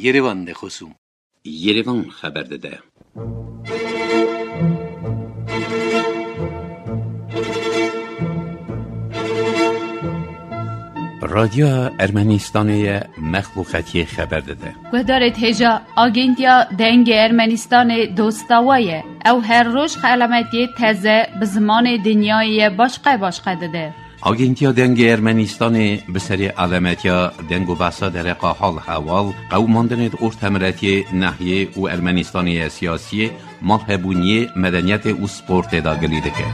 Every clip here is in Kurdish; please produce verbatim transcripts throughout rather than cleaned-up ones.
Yerevan de xosûm. Yerevan xeber dide. Radyoya Ermenistanê ye, mexluqetiyê xeber dide. Guhdarê hêja, Agentiya Dengê Ermenistanê dosta we ye. Ew her roj xelametiyê teze bi zimanê dinyayê ye başqe başqe dide. Agentiya Dengê Ermenistanê bi serê alemetiya deng û behsa dereqa hal hewal, qewimandinê di ortemiretiyê, nehiyê û Ermenistanê ye siyasiyê, malhebûniyê, medeniyetê û sportê de gilî dike.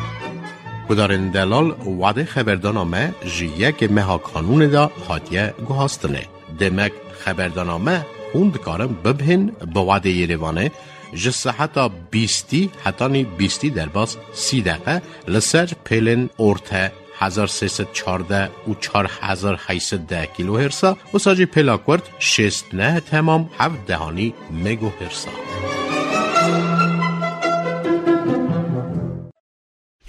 Gudarên delal, wadê xeberdana me ji yekê meha kanûnê de hatiye guhastinê. Demek xeberdana me hûn dikarin bibhên bi wadê Yerevanê ji seheta bîstî hetanî bîstî derbas sî deqe li ser pêlên orte hezar sê sed çardeh û çar hezar heyt sed deh kîlohêrsa, wisa jî pêla kurt şêst neh temam heft dehanî megohêrsa.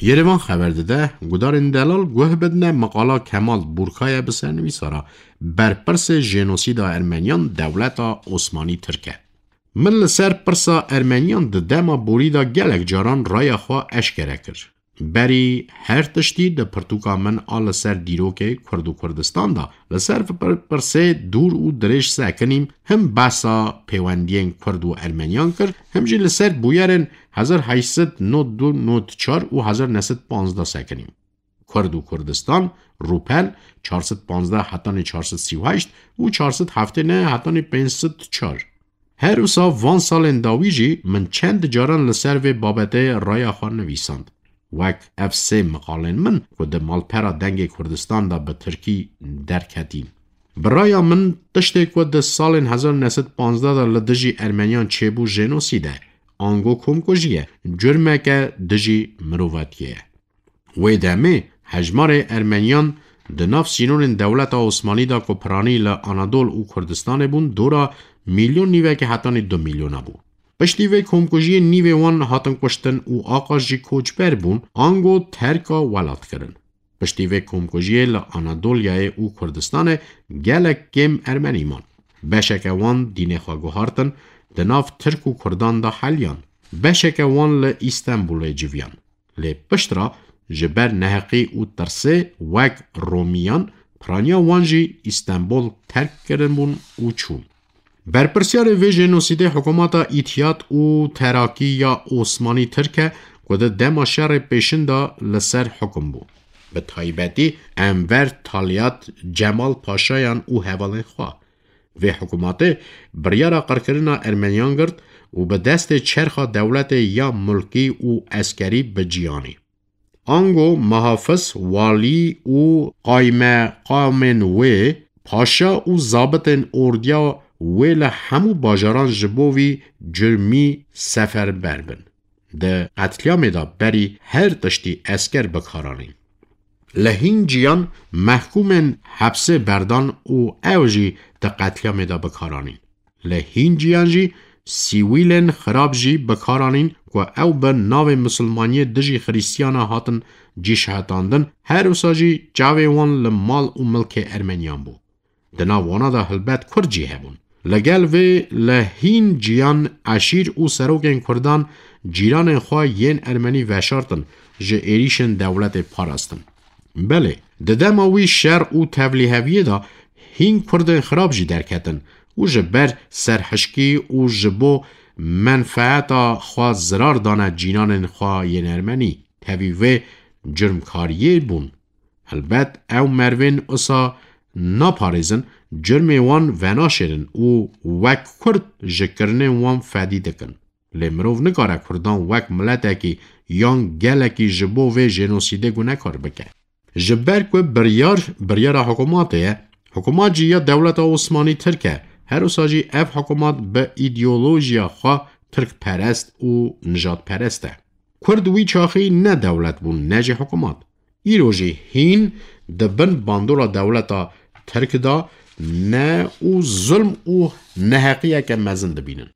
Yerevan xeber dide, gudarên delal guh bidine meqala Kemal Burkaye bi sernivîsara Berpirsê jenosîda Ermeniyan dewleta Osmanî Tirk e. Min li ser pirsa Ermeniyan di dema borî de gelek caran raya xwe eşkere kir. Berî her tiştî di pirtûka min a li ser dîrokê Kurd û Kurdistan de li ser pir-, pirsê dûr û dirêj sekinîm, him behsa pêwendiyên Kurd û Ermeniyan kir, him jî li ser bûyerên hezar heyt sed nod du nod çar û hezar neh sed panzdeh sekinîm. Kurd û Kurdistan, rûpel çar sed panzdeh hetanî çar sed sî û heşt û çar sed heftê neh hetanî pênc sed çar. Her wisa van salên dawî jî min çend caran li ser vê babetê raya xwe nivîsand. Wek ev sê miqalên min ku di malpera Dengê Kurdistan de bi tirkî derketîn. Bi raya min tiştê ku di salên hezar neh sed panzdeh de li dijî Ermeniyan çêbû jenosîd e, ango komkujî ye, curmeke dijî mirovatiyê ye. Wê demê hejmarê Ermeniyan di nav sînorên dewleta Osmanî de ku piranî li Anadol û Kurdistanê bûn, dora milyon nîvekê hetanî du milyona bû. Piştî vê komkujiyê nîvê wan hatin kuştin û aqas jî koçber bûn, ango terka welat kirin. Piştî vê komkujiyê li Anadolyayê û Kurdistanê gelek kêm Ermenî man. Beşeke wan dînê xwe guhartin, di nav Tirk û Kurdan de heliyan. Beşeke wan li Îstenbulê civiyan. Lê piştre ji ber neheqî û tirsê wek Romiyan piraniya wan jî Îstenbul terk kirin bûn û çûn. Berpirsyarê vê jenosîdê hikûmeta Îtiyad û Terakî ya Osmanî Tirk e ku di dema şerê pêşin de li ser hikûm bû. Bi taybetî Enver Talyat, Cemal Paşayan û hevalên xwe. Vê hikûmatê biryara qirkirina Ermeniyan girt û bi destê çerxa dewletê ya mulkî û eskerî bi cî anî. Ango muhafiz, walî û qaymeqamên wê, paşa û zabitên ordiya wê li hemû bajaran ji bo vî curmî seferber bin. Di qetlîamê de berî her tiştî esker bi kar anîn. Li hîn ciyan mehkûmên hepsê berdan û ew jî di qetlîamê de bi kar anîn. Li hîn ciyan jî sîwîlên xirab jî bi kar anîn ku ew bi navê misilmaniyê dijî xirîstiyana hatin cîşehetandin, her wisa jî çavê wan li mal û milkê Ermeniyan bû. Di nav wana de helbet Kurd jî hebûn. Li gel vê li hîn ciyan eşîr û serokên Kurdan cîranên xwe yên Ermenî veşartin, ji êrîşên dewletê parastin. Belê, di dema wî şer û tevlîheviyê de hîn Kurdên xirab jî derketin û ji ber serhişkî û ji bo menfeeta xwe zirar dane cîranên xwe yên Ermenî. Tevî vê curmkariyê bûn. Helbet ew mervên usa naparêzin, curmê wan venaşêrin û wek Kurd ji kirinên wan fedî dikin. Lê mirov nikare Kurdan wek miletekî yan gelekî ji bo vê jenosîdê gunekar bike. Ji ber ku biryar, biryara hikûmatê ye, hikûmat jî ya dewleta Osmanî Tirk e, her wisa jî ev hikûmat bi îdeolojiya xwe tirkperest û nijadperest e. Kurd wî çaxî ne dewlet bûn, ne jî hikûmat. Îro jî hîn di bin bandora dewleta Tirk de ne û zulm û neheqiyeke mezin dibînin.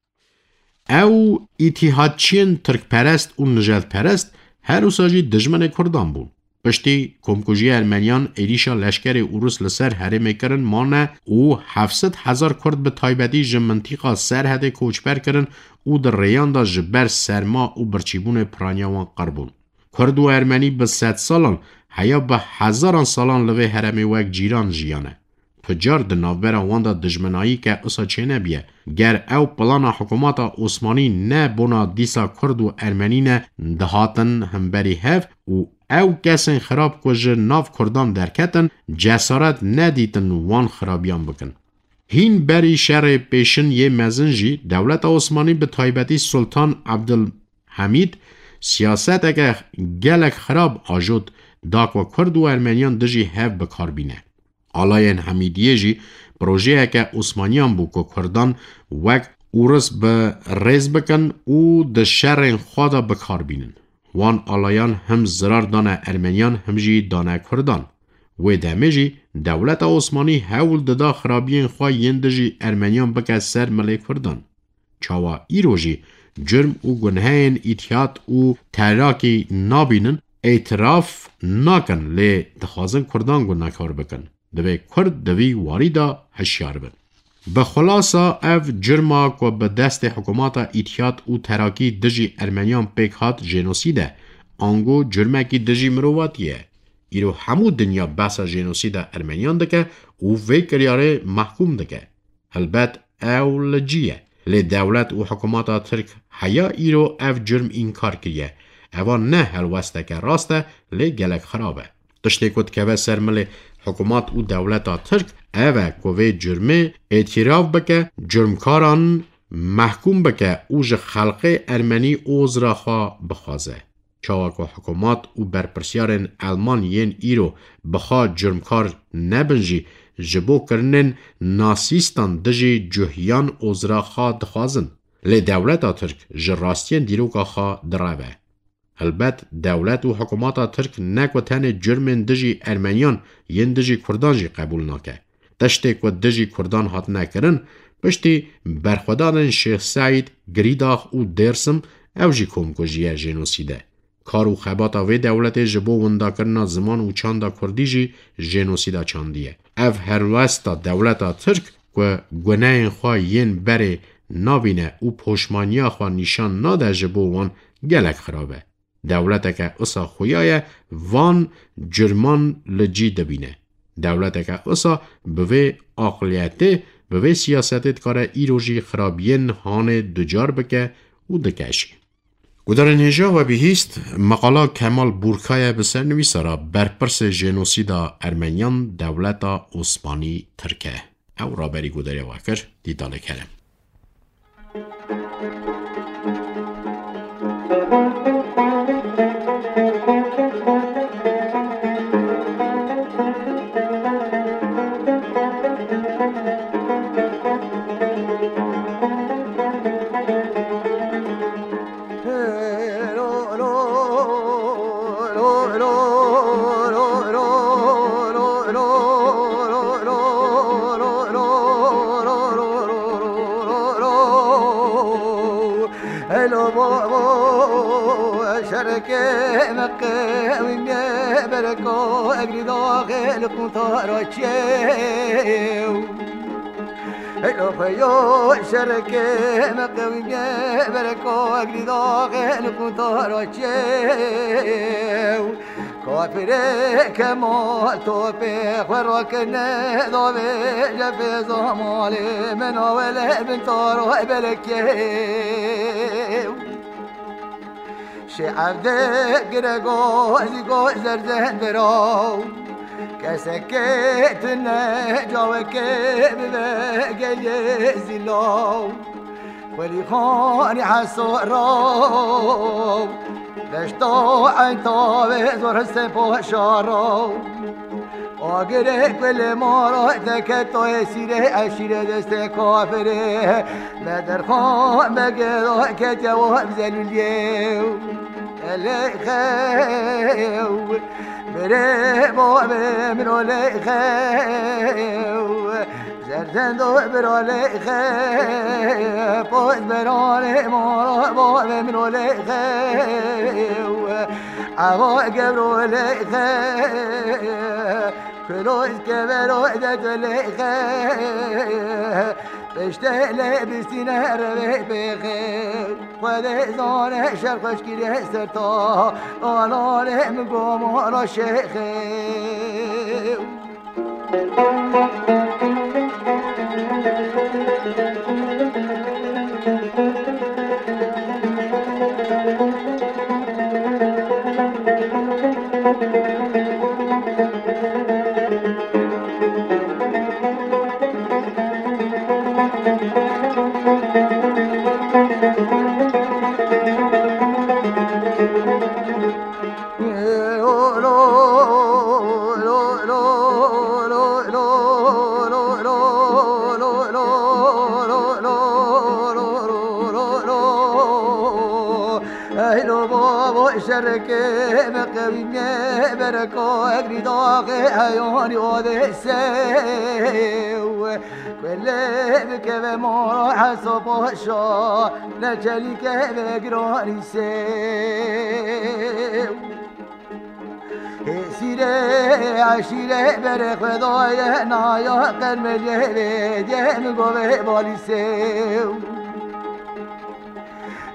Ew îtîhadçiyên tirkperest û nijadperest her wisa jî dijminê Kurdan bûn. Piştî komkujiya Ermeniyan, êrîşa leşkerê Ûrus li ser herêmê kirin mane û heft sed hezar Kurd, bi taybetî ji mintîqa Serhedê, koçber kirin û di rêyan de ji ber serma û birçîbûnê piraniya wan qir bûn. Kurd û Ermenî bi sedsalan, heya bi hezaran salan li vê herêmê wek cîran jiyane. Tu car di navbera wan de dijminayî ke usa çênebiye. Ger ew plana hikûmeta Osmanî ne bona dîsa Kurd û Ermenî ne dihatin hemberî hev û ew kesên xirab ku ji nav Kurdan derketin, cesaret nedîtin wan xirabiyan bikin. Hîn berî şerê pêşin yê mezin jî dewleta Osmanî, bi taybetî Sultan Abdulhamîd, siyaseteke gelek xirab ajot da ku Kurd û Ermeniyan dijî hev bi kar bîne. Alayên Hemîdiyê jî projeyeke Osmaniyan bû ku Kurdan wek Ûris bi rêz bikin û di şerên xwe de bi kar bînin. Wan alayan him zirar dane Ermeniyan, him jî dane Kurdan. Wê demê jî dewleta Osmanî hewl dida xirabiyên xwe yên dijî Ermeniyan bike ser milê Kurdan. Çawa îro jî curm û gunheyên îtîhat û terakî nabînin, îtiraf nakin, lê dixwazin Kurdan gunekar bikin. Divê Kurd di vî warî de hişyar bin. Bi xulasa, ev curma ku bi destê hikûmeta îtîhat û terakî dijî Ermeniyan pêk hat jenosîd e, ango curmekî dijî mirovatiyê ye. Îro hemû dinya behsa jenosîda Ermeniyan dike û vê kiryarê mehkûm dike. Helbet ew li cî ye. Lê dewlet û hikûmeta Tirk heya îro ev curm înkar kiriye. Eva ne helwesteke rast e, lê gelek xirab e. Tiştê ku dikeve ser milê hikûmat û dewleta Tirk ev e ku vê curmê îtîraf bike, curmkaran mehkûm bike û ji xelqê Ermenî ozra xwe bixwaze. Çawa ku hikûmat û berpirsiyarên Elman yên îro bi xwe curmkar nebin jî, ji bo kirinên nasîstan dijî cuhiyan ozra xwe dixwazin. Lê dewleta Tirk ji rastiyên dîroka xwe direve. Helbet dewlet û hikûmeta Tirk ne ku tenê curmên dijî Ermeniyan, yên dijî Kurdan jî qebûl nake. Tiştê ku dijî Kurdan hatine kirin, piştî berxwedanên Şêx Seîd, Girîdax û Dêrsim, ew jî komkujî ye, jenosîd e. Kar û xebata vê dewletê ji bo windakirina ziman û çanda kurdî jî jenosîda çandî ye. Ev helwesta dewleta Tirk ku guneyên xwe yên berê nabîne û poşmaniya xwe nîşan nade ji bo wan gelek xirab e. Dewleteke usa xuya ye van curman li cî dibîne. Dewleteke usa bi vê aqliyetê, bi vê siyasetê dikare îro jî xirabiyên hanê ducar bike û dike jî. Gudarên hêja we bihîst, meqala Kemal Burka ye bi sernivîsa re, berpirsê jenosîda Ermeniyan dewleta Osmanî Tirk e. Ew raberî gudarê we kir, dîtalê kerem. Elo babo, şerke me qewîmiye bereko, egrî daxê li quntara çêw. Elo xweyo, şerke me qewîmiye bereko, egrî daxê li quntara çêw. Kafirê Kemal topê xwe rakirine davê, cefê zamalê min awele bin taro belekê. Şê'evdê girego zîgo zerzen biraw, kesekê tune cawekê bibe gelê zîlaw. Xwelî Xanî Heso raw, deşta Eyntavê zor Hesên Paşa raw. Agirê kulê mara teke toyê sîrê eşîrê destê kafirê. Bedirxan Begê da ketiye wa bizelûliyê. Elê xew, birê bavê min olê xew. Zerzendo biralê xew, poz beralê mara bavê min olê xew. Ava gewro lêxe, kulo kevero de tu lêxe, pişte lê bistîne revê pêxe. Xwedê zane şer xweşkî lê ser ta, ananê min gomara şêxe. Eylo babo şerke me qewîme bereko egrî daxê eyonî odê sew. Kulê bikeve mora Heso Paşa, ne çelîke ve giranî sew. Hêsîrê eşîrê berê xwe daye naya qermelê vê diye min govê balî sew.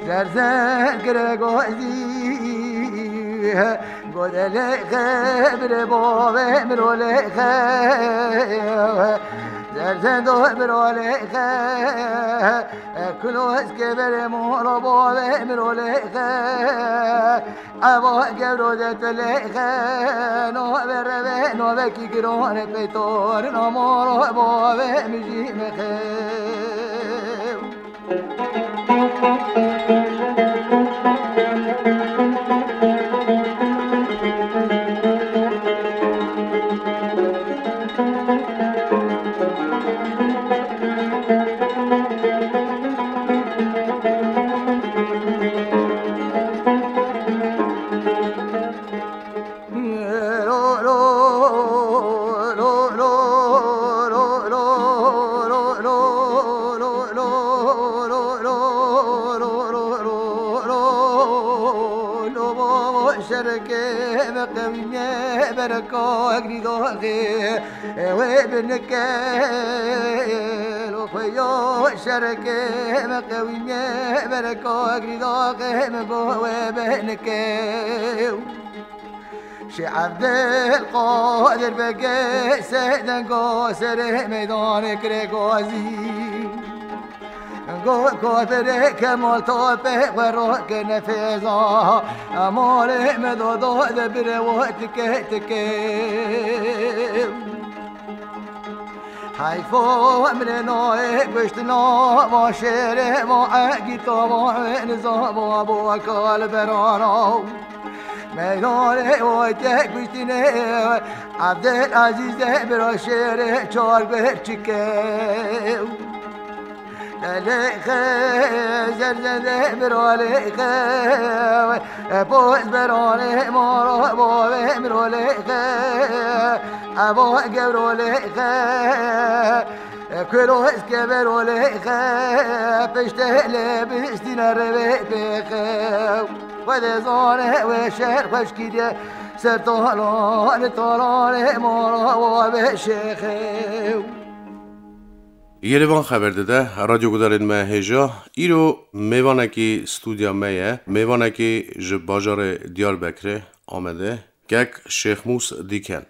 Zerzen kire gozî, godelê xebre bavê mirolê xe. Zerzen do mirolê xe, kuloz kevere moro bavê mirolê xe. Eva gewro de tu lê xe, no ve reve, no vekî girone peytor, no moro bavê mijî mexe. Şerke me qewîme bereka egrî daxê wê binike. Lo xwe yo şerke me qewîme bereka egrî daxê me go wê binike. Şê Evdil Qadir Begê seydengo serê meydanê kirê gazî. Go kafirê Kemal Topê xwe rokine fêza, emalê me dodo de bire wo tike tike. Heyfo emrê nayê kuştina va şêrê va egîta va wê niza va bo kal berana. Meydanê o tek kuştinê Evdil Ezîz de bira şêrê çar ber çike. Lê xe, zerze lê bira lê xe, poz beranê mara bavê miro lê xe, eva gewro lê xe, kulo eskevero lê xe, piştê lê bistîne revê pê xe. Xwedê zane wê şer xweşkî diye, ser talan talanê mara bavê şêxe. Yê li van xeber dide, radyo gudarên me hêja. Îro mêvanekî stûdya me ye. Mêvanekî ji bajarê Diyarbekirê, Amedê. Kek Şêxmûs Dîken.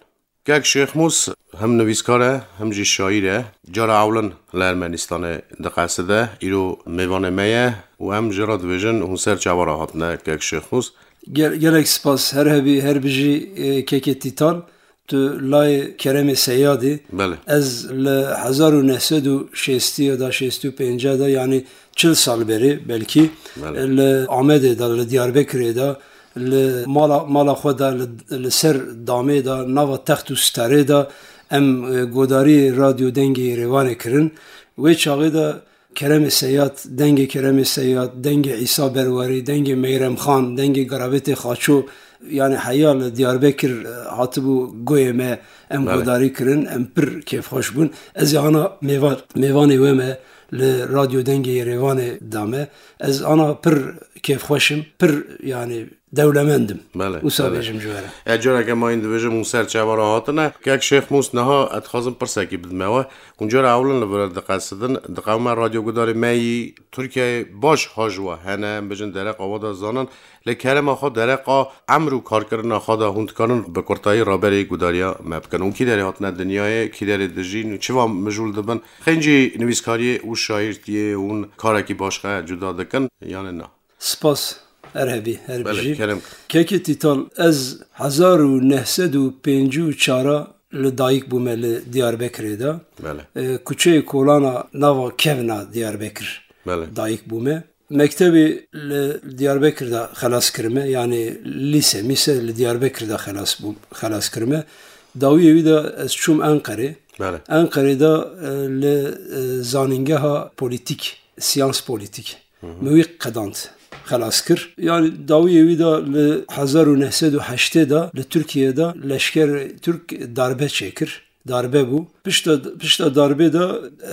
Kek Şêxmûs hem nivîskar e, hem jî şaîr e. Cara ewlin li Ermenistanê diqeside. Îro mêvanê me ye û em ji re dibêjin hûn ser çawa re hatine, Kek Şêxmûs? Gel-, gelek spas. Her hebî, her bijî, e, kekê Tîtan. Tu layê Keremê Seyadê. Belê. Ez li hezar û neh sed û şêstî ya da, şêst û pênc de, yanî çil sal berê belkî, Belê. Li Amedê de, li Diyarbekirê de, li mala, mala xwe de, li, li ser damê de, nava text û starê de em, e, godarî Radyo Dengê Yerevanê kirin. Wê çaxê de Keremê Seyad, dengê Keremê Seyad, dengê Îsa Berwarî, dengê Meyrem Xan, dengê Garabetê Xaço, yanî heya li Diyarbekir, e, hatibû goyê me, em Belê. Godarî kirin, em pir kêfxweş bûn. Ez ê ana mêva-, mêvanê we me li Radyo Dengê Yerevanê da me. Ez ana pir kêfxweş im, pir, yanî dewlemend im. Belê, Wisa belê. bêjim ji we re. E, careke mayîn dibêjim hûn ser çava re hatine. Kek Şêx Mûs, niha ez dixwazim pirsekî bidime we. Hûn cara ewlin li vir diqesidin, diqewime radyogudarê me yî Tirkiyeyê baş ha ji we hene, em bêjin dereqa we de zanin. Lê kerema xwe dereqa emr û karkirina xwe de hûn dikarin bi kurtayî raberê gudariya me bikin. Hûn kî derê hatine dinyayê, kî derê dijîn û çiva mijûl dibin? Xêncî nivîskariyê û şaîrtiyê hûn karekî başqe cuda dikin, yanî na? Spas, her hebî, her Belê, bijî. kerem. Kekê Tîtal, ez hezar û neh sed û pêncî û çar li dayik bûme li Diyarbekirê de. Belê. E, kuçeyê Kolana nava kevna Diyarbekir Belê. dayik bûme. Mektebê li Diyarbekir de xelas kirime, yanî lîse, mîse li Diyarbekir de xelas bû, xelas kirime. Dawiyê wî de ez çûm Enqerê. Belê. Enqerê de, e, li, e, zanîngeha polîtîk, siyans polîtîk. Hı hı. Min wî qedand, xelas kir. Yanî dawiyê wî de li hezar û neh sed û heştê de li Tirkiyê de leşker Tirk darbe çêkir. Darbe bû. Pişta, pişta darbê de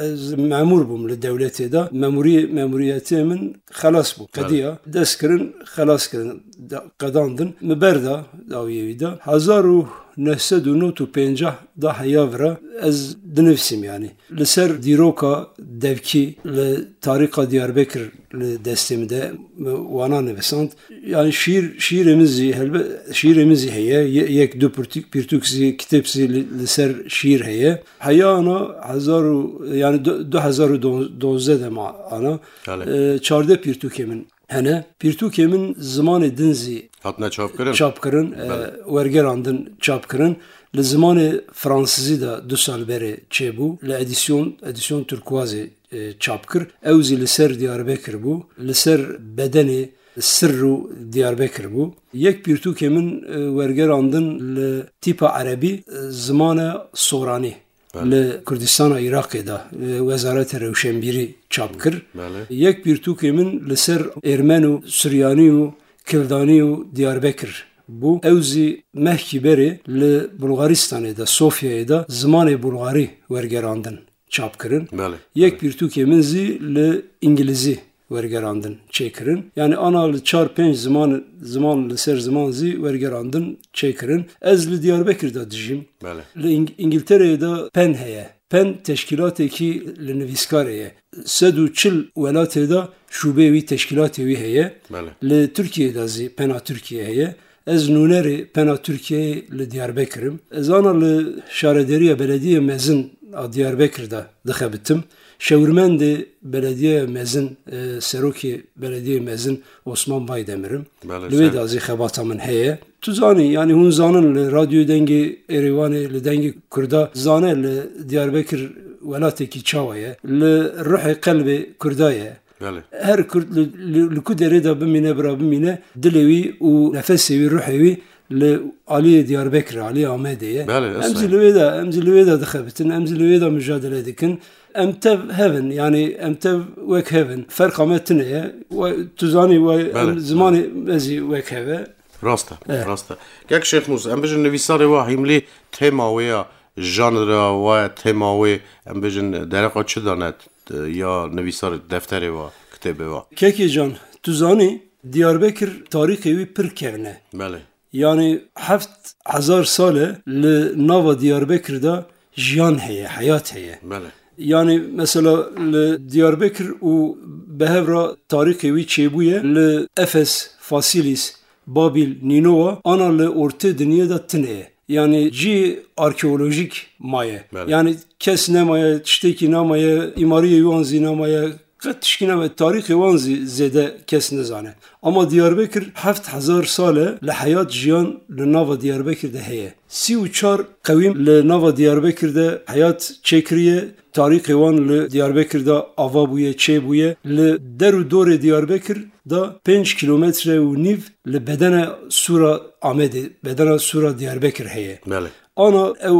ez memûr bûm li dewletê de. Memûrî-, memûriyetê min xelas bû. Belê. Qediya. Dest kirin, xelas kirin. Da-, qedandin. Min berda dawiyê wî de. Hezar û neh sed û nod û pêncah da heya vira ez dinivîsim yanî. Li ser dîroka devkî li tarîxa Diyarbekir li destê min de, min wana nivisand. Yani şiir, şiirê min zî helbe-, şiirê min zî heye. Ye-, yek du pirtûk, pirtûk zî, kitêb zî li, li ser şiir heye. Heya ana hezar û, yani du-, du hezar û dozdeh de ma ana. Belê. E, çardeh pirtûkê min hene. Pirtûkê min zimanê din zî Hatine çapkirin? çapkirin, e, Belê. wergerandin çapkirin. Li zimanê fransizî de du sal berê çêbû. Li edîsyon, edîsyon Turkuazê, e, çap kir. Ew zî li ser Diyarbekir bû. Li ser bedenê sirr û Diyarbekir bû. Yek pirtûkê min, e, wergerandin li tîpa erebî, e, zimana soranî. Belê. Li Kurdistana Iraqê de, e, Wezareta Rewşenbîrî çap kir. Belê. Yek pirtûkê min li ser Êrmen û Suryanî û Kildanî û Diyarbekir bû. Ew zî mehkî berê li Bulgaristanê de, Sofyayê de zimanê bulgarî wergerandin, çap kirin. Belê, Yek belê. pirtûkê min zî li îngilîzî wergerandin, çêkirin. Yani ana li çar pênc ziman, ziman li ser ziman zî wergerandin çêkirin. Ez li Diyarbekir de dijîm. Belê. Li Îng-, Îngiltereyê de pen heye. Pen teşkîlatekî li nivîskarê ye. Sed û çil welatê de şûbeyê wî, teşkîlatê wî heye. Belê. Li Tirkiyeyê de zî pena Tirkiye heye. Ez nûnerê pena Tirkiyeyê li Diyarbekir im. Ez ana li şarederiya belediyê mezin a Diyarbekir de dixebitim. Şewirmendê belediyeya mezin, e, serokê belediyê mezin Osman Baydemir im. Belê, Li wê ser- de zî xebata min heye. Tu zanî, yani hûn zanin li Radyoyê Dengê Êrêwanê, li Dengê Kurda zane li Diyarbekir welatekî çawa ye. Li ruhê qelbê Kurda ye. Belê. Her Kurd li, li, li ku derê de bimîne, bira bimîne, dilê wî û nefesê wî, ruhê wî li aliyê Diyarbekir, aliyê Amedê ye. Belê, Em zî li wê de, em zî li wê de dixebitin, em zî li wê de mujadele dikin. Em tev hev in, yani em tev wek hev in. Ferqa me tune ye. We, tu zanî we, Belê, em zimanê me zî wek hev e. Rast e, Evet. rast e. Kek Şêx Mûs, em bijin nivîsarê we Hîmlî tema wê ya, janra we, tema wê, em bijin dereqa çi dane, t-, ya nivîsar defterê we, kitêbê we? Kekê can, tu zanî, Diyarbekir tarîxê wî pir kevn e. Belê. Yani heft hezar sal e li nava Diyarbekir de jiyan heye, heyat heye. Belê. Yani mesela li Diyarbekir û bi hev re tarîxê wî çêbûye, li Efes, Fasilis, Babîl, Nînowa, ana li ortê dinyê de tune ye. Yani cî arkeolojîk maye. Belê. Yani kes nemaye, tiştekî nemaye, îmariyê wan zî nemaye. Qet tişkî nemaye. Tarîxê wan zî zêde kes nizane. Ama Diyarbekir heft hezar sal e li heyat, jiyan li nava Diyarbekir de heye. Sî û çar qewîm li nava Diyarbekir de heyat çêkiriye. Tarîxê wan li Diyarbekir de ava bûye, çêbûye. Li der û dorê Diyarbekir de pênc kîlometre û nîv li bedena Sûra Amedê, bedena Sûra Diyarbekir heye. Belê. Ana ew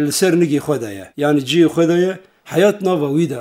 li ser nigê xwe de ye. Yani cihê xwe de ye. Heyat nava wî de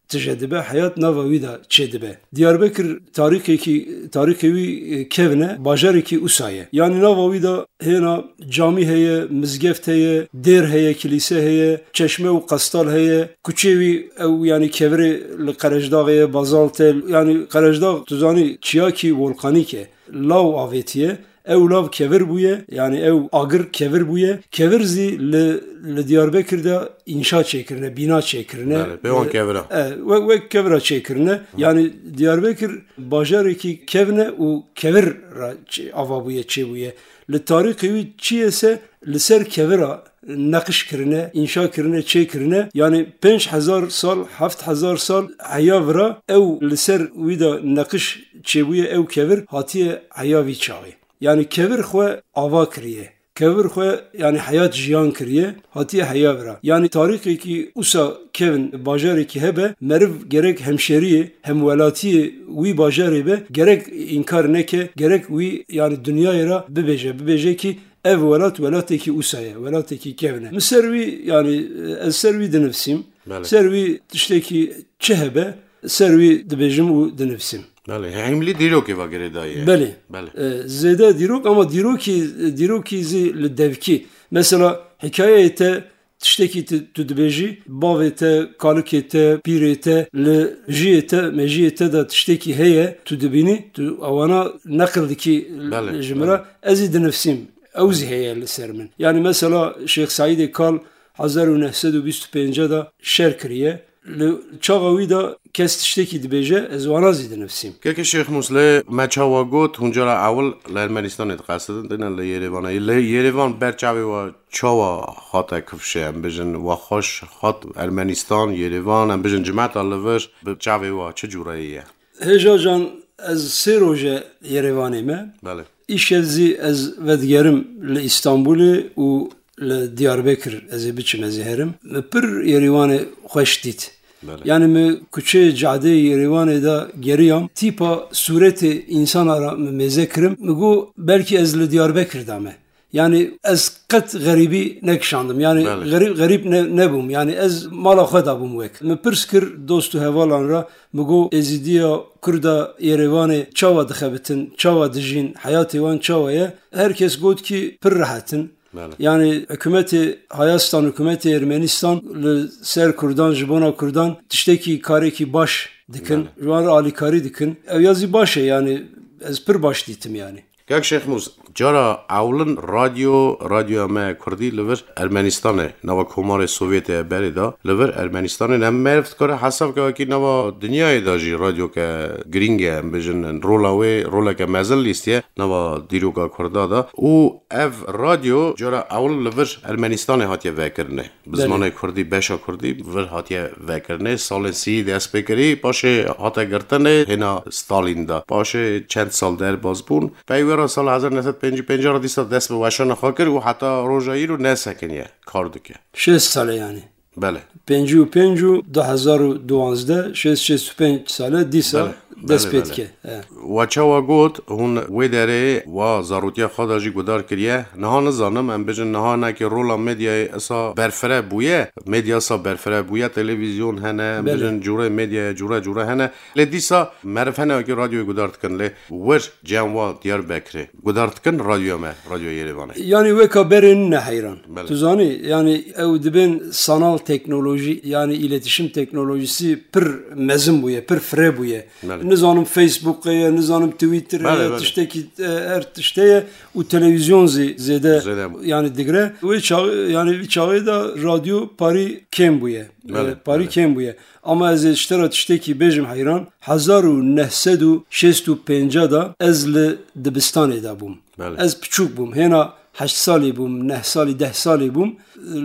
tije dibe, heyat nava wî de çêdibe. Diyarbekir tarîxekî, tarîxê wî, e, kevn e, bajarekî usa ye. Yani nava wî de hêna camî heye, mizgeft heye, dêr heye, kilîse heye, çeşme û qestal heye. Kuçê wî ew, yani kevirê li Qerejdaxê ye, bazalt e. Yani Qerejdax, tu zanî, çiyakî volkanîk e. Law avêtiye. Ew lav kevir bûye, yanî ew agir kevir bûye. Kevir zî li, li Diyarbekir de înşa çêkirine, bîna çêkirine. Belê, pê wan kevira. E, wek, wek kevira çêkirine. Yanî Diyarbekir bajarekî kevin e û kevir re çê-, ava bûye, çêbûye. Li tarîxê wî çi ye se li ser kevira neqiş kirine, înşa kirine, çêkirine. Yanî pênc hezar sal, heft hezar sal heya vira ew li ser wî de neqiş çêbûye, ew kevir hatiye heya vî çaxê. Yanî kevir xwe ava kiriye. Kevir xwe, yanî heyat jiyan kiriye, hatiye heya vira. Yanî tarîxekî usa kevin bajarekî hebe, meriv gerek hemşeriyê, hemwelatiyê wî bajarê be, gerek înkar neke, gerek wî, yanî dinyayê re bibêje, bibêje kî ev welat welatekî usa ye, welatekî kevin e. Min ser wî, yanî ez ser wî dinivsîm. Belê. Ser wî tiştekî çi hebe, ser wî dibêjim û dinivsîm. Belê, hemlî dîrokê ve girêdayî ye. Belê. Belê. E, zêde dîrok, ama dîrokî, dîrokî zî li devkî. Mesela hikayeyê te tiştekî tu, tu dibêjî, bavê te, kalikê te, pîrê te, li jiyê te, mejiyê te de tiştekî heye, tu dibînî, tu ewana neqil dikî. Belê, ji min re, belê. Ez ê dinivsîm. Ew zî heye li ser min. Yanî mesela Şêx Seîdê Kal hezar û neh sed û bîst û pênc de şer kiriye. Li çaxa wî de kes tiştekî dibêje, ez wana zî dinivsîm. Kekê Şêx Mûs, lê me çawa got, hûn cara ewil li Ermenistanê diqesidin, têne li Yerêvanê. Li Yerêvan ber çavê we çawa hate kifşe, em bijin, we xweş hat Ermenistan, Yerêvan, em bijin cimeta li vir, bi çavê we çi cûreyê ye? Hêja can, ez sê roj e Yerêvanê me. Belê. Îşev zî ez vedigerim li Îstanbulê û li Diyarbekir ez ê biçim, ez ê herim. Mi pir Yerêvanê xweş dît. Belê. Yanî mi kuçeyê cadeyê Yerêvanê de geriyam, tîpa sûretê însana re mi mêze kirim. Mi got, belkî ez li Diyarbekir de me. Yanî ez qet xerîbî nekişandim. Yanî Belê. Xerîb, xerîb ne, nebûm. Yanî ez mala xwe de bûm wek. Mi pirs kir dost û hevalan re, mi got, Êzîdiya Kurda Yerêvanê çawa dixebitin, çawa dijîn, heyatê wan çawa ye? Her kes got kî pir rehet in. Belê. Yanî hikûmetê Hayastan, hikûmetê Ermenistan li ser Kurdan, ji bona Kurdan tiştekî, karekî baş dikin. Belê. Ji wan re alîkarî dikin. Ew ya zî baş e, yanî ez pir baş dîtim yanî. Kak Şêx Mûs, cara ewlin radyo, radyoya me kurdî li vir Ermenistanê, nava Komarê Sovyetê berê da, li vir Ermenistanê ne meriv dikare hesab ke wekî nava dinyayê da jî radyoke girîng e, em bijin, rola wê roleke mezin lîstiye nava dîroka kurda da. Û ev radyo cara ewil li vir Ermenistanê hatiye vekirinê. Bi Belê. Zimanê kurdî, beşa kurdî vir hatiye vekirinê. Salên sî dest pê kirî, paşê hate girtinê hêna Stalîn de. Paşê çend sal derbas bûn. Pey wê re sala hezar neh sed pêncî pênc re dîsa dest bi weşana xwe kir û heta roja îro nesekiniye, kar dike. Şêst sal e yanî. Belê. Pêncî û pênc û du hezar û duwazdeh, şêst, şêst û pênc sal e dîsa Belê. dest Belê, pê belê. dike. He. We çawa got, hûn wê derê wa zarotiya xwe de jî guhdar kiriye. Niha nizanim, em bijin niha hinekî rola medyayê esa berfireh bûye. Medya esa berfireh bûye, televîzyon hene, em Belê. bijin cûrê medyaya cûre cûre hene. Lê dîsa meriv hene wekî radyoyê guhdar dikin. Lê wir cem wa Diyarbekirê guhdar dikin radyoya me, radyoya Yerêvanê. Yanî weka berê nine heyran. Belê. Tu zanî, yanî ew dibên sanal teknolojî, yanî îletişim teknolojisi pir mezin bûye, pir fire bûye. Belê. Nizanim Facebook ye, nizanim Twitter Belê, ye, belê. tiştekî, e, her tişte ye û televîzyon zî zêde Zêde. yanî digre. Wê çaxê, yanî vî çaxê de radyo parî kêm bûye. Belê, E, parî belê. kêm bûye. Ama ez ê ji te re tiştekî bêjim heyran. Hezar û neh sed û şêst û pênc de ez li dibistanê de bûm. Belê. Ez piçûk bûm. Hêna heşt salî bûm, neh salî, deh salî bûm.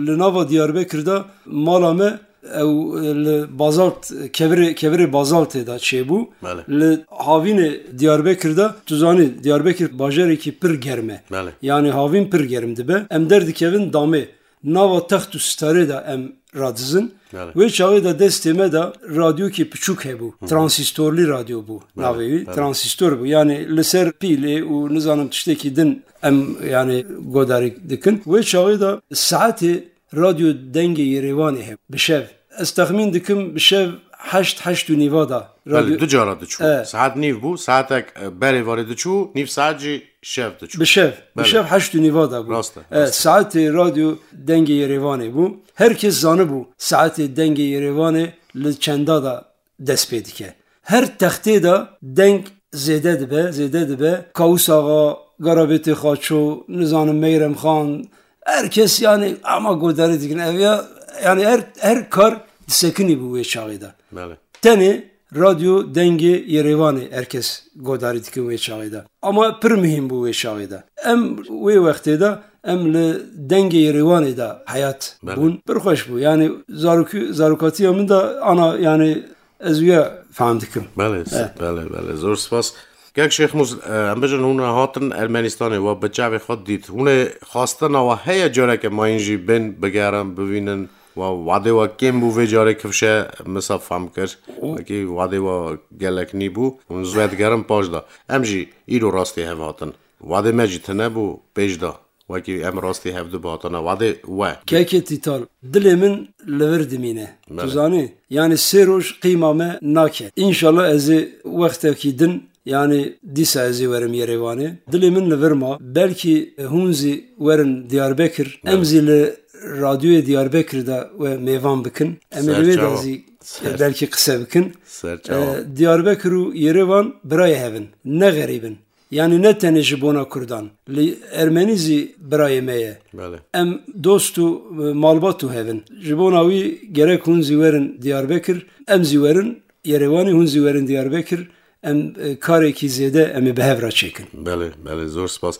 Li nava Diyarbekir de mala me ew, e, li bazalt, kevirê, kevirê bazaltê de çêbû. Belê. Li havînê Diyarbekir de, tu zanî, Diyarbekir bajarekî pir germ e. Belê. Yanî havîn pir germ dibe. Em derdikevin damê. Nava text û starê de em radizin. Belê. Wê çaxê de destê me de radyokê piçûk hebû. Hı hı. Transîstorlî radyo bû Belê, navê wî. belê. Transîstor bû. Yanî li ser pîlê û nizanim tiştekî din em, yanî, godarî dikin. Wê çaxê de saetê radyo Dengê Yerêvanê hebû. Bi şev. Ez texmîn dikim bi şev heşt, heşt û nîva de Belê, radyo du cara diçû. E. Saet nîv bû, saetek, e, berê varê diçû, nîv saet jî şev diçû. Bi şev, bi Belê. şev heşt û nîva de bû. Rast e, E, rast e. Saetê radyo Dengê Yerêvanê bû. Her kes zanibû saetê Dengê Yerêvanê li çenda de dest pê dike. Her textê de deng zêde dibe, zêde dibe. Kawus Axa, Garabêtê Xaço, nizanim Meyrem Xan, her kes yani ama godarî dikin. Ev ya, yani her, her kar disekinî bû wê çaxê de. Belê. Tenê radyo Dengê Yerêvanê her kes godarî dikin wê çaxê de. Ama pir muhîm bû wê çaxê de. Em wê wextê de em li Dengê Yerêvanê de heyat Belê. bûn. Pir xweş bû. Yani zarokî, zarokatiya min de ana yani ez wîya fehm dikim. Belê, Eh. belê, belê. Zor spas. Kek Şêxmûs, e, em bijin hûn hatin Ermenistanê, we bi çavê xwe dît. Hûn ê xwestina we heye careke mayîn jî bên bigerin, bivînin. Wa wadê we kêm bû vê carê kifşe misa fam kir. Wekî wadê we gelek nî bû. Hûn zû digerin paş da. Em jî îro rastî hev hatin. Wadê me jî tine bû pêş da. Wekî em rastî hev du hatana wadê we. Kekê Tîtal, dilê min li vir dimîne. Tu Belê. zanî? Yani sê roj qîma me nake. Înşallah ez ê wextekî din, yani dîsa ez ê werim Yerêvanê. Dilê min li vir ma. Belkî hûn zî werin Diyarbekir. Em Belê. zî li radyoyê Diyarbekir de we mêvan bikin. Em ê li wê de Serçawa. zî Ser- belkî qise bikin. Serçawa. E, Diyarbekir û Yerêvan birayê hev in. Ne xerîb in. Yani ne tenê ji bona Kurdan. Li Ermenî zî birayê me ye. Belê. Em dost û, e, malbat û hev in. Ji bona wî gerek hûn zî werin Diyarbekir, em zî werin Yerêwanê, hûn zî werin Diyarbekir. Em, e, karekî zêde em ê bi hev re çêkin. Belê, belê, zor spas.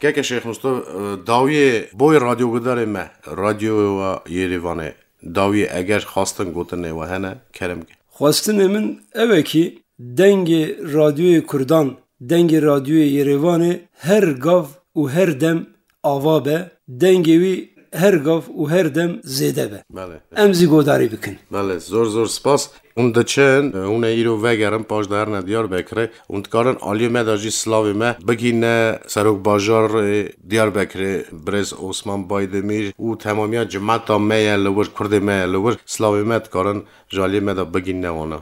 Keke Şêx Mustafa, e, dawiyê boy radyogudarê me, radyoyê we Yerêvanê, dawiyê eger xwestin gotinê we hene, kerem ke. Xwestinê min ew e kî dengê radyoyê Kurdan, dengê radyoyê Yerêvanê her gav û her dem ava be, dengê wî her gav û her dem zêde be. Belê. Em zî godarî bikin. Belê, zor zor spas. Hûn diçin, hûn ê îro vegerin, paş de herine Diyarbekirê. Hûn dikarin aliyê me de jî silavê me bigîne serokbajarê Diyarbekirê, birêz Osman Baydemîr û temamiya cemata me ye li wir, kurdê me ye li wir. Silavê me dikarin ji aliyê me de bigîne wana.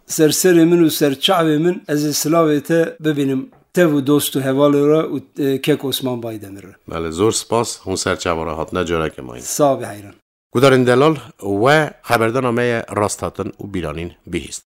Ser serê min û ser çavê min ez ê silavê te bibînim. Tev û dost û hevalê re û, e, kek Osman Baydemir re. Belê, zor spas, hûn ser çava re hatine careke mayîn. Sağ be heyran. Gudarên delal, we xeberdana me ye rast hatin û bîranîn bihîst.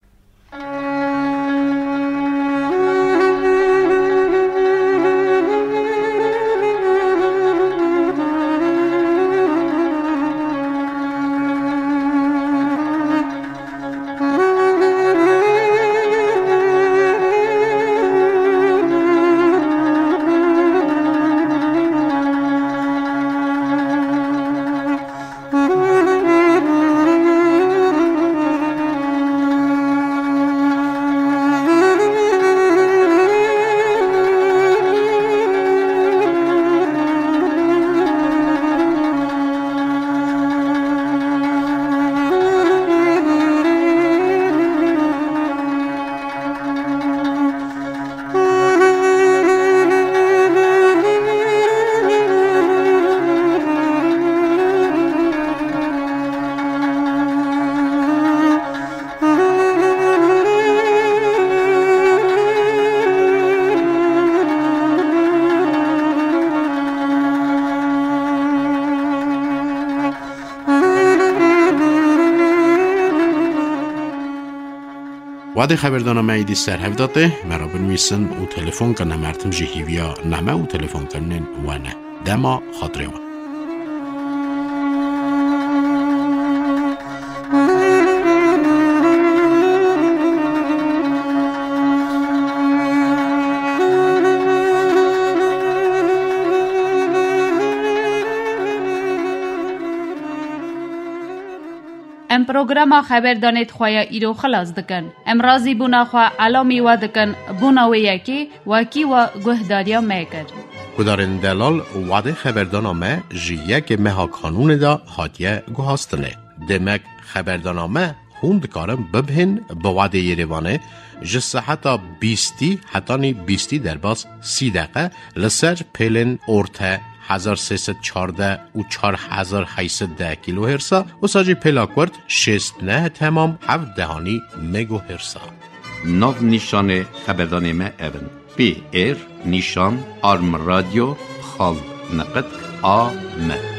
Wadê xeberdana me êdî ser hev de tê, me re binivîsin û telefon kin, em her tim jî hîviya name û telefonkirinên we ne. Dema xatirê we. Em programa xeberdanê di xwe ya îro xilas dikin. Em razîbûna xwe elamî we dikin, bona wê yekê wekî we guhdariya me kir. Gudarên delal, wadê xeberdana me ji yekê meha Kanûnê de hatiye guhastinê. Demek xeberdana me hûn dikarin bibhên bi wadê Yerêvanê ji seheta bîstî hetanî bîstî derbas sî deqe li ser pêlên orte hezar sê sed çardeh û çar hezar heyt sed deh kîlohêrsa, wisa jî pêla kurt şêst neh temam heft dehanî megohêrsa. Nav nîşanê xeberdanê me ev in: P R nîşan arm radyo xal niqitk A M.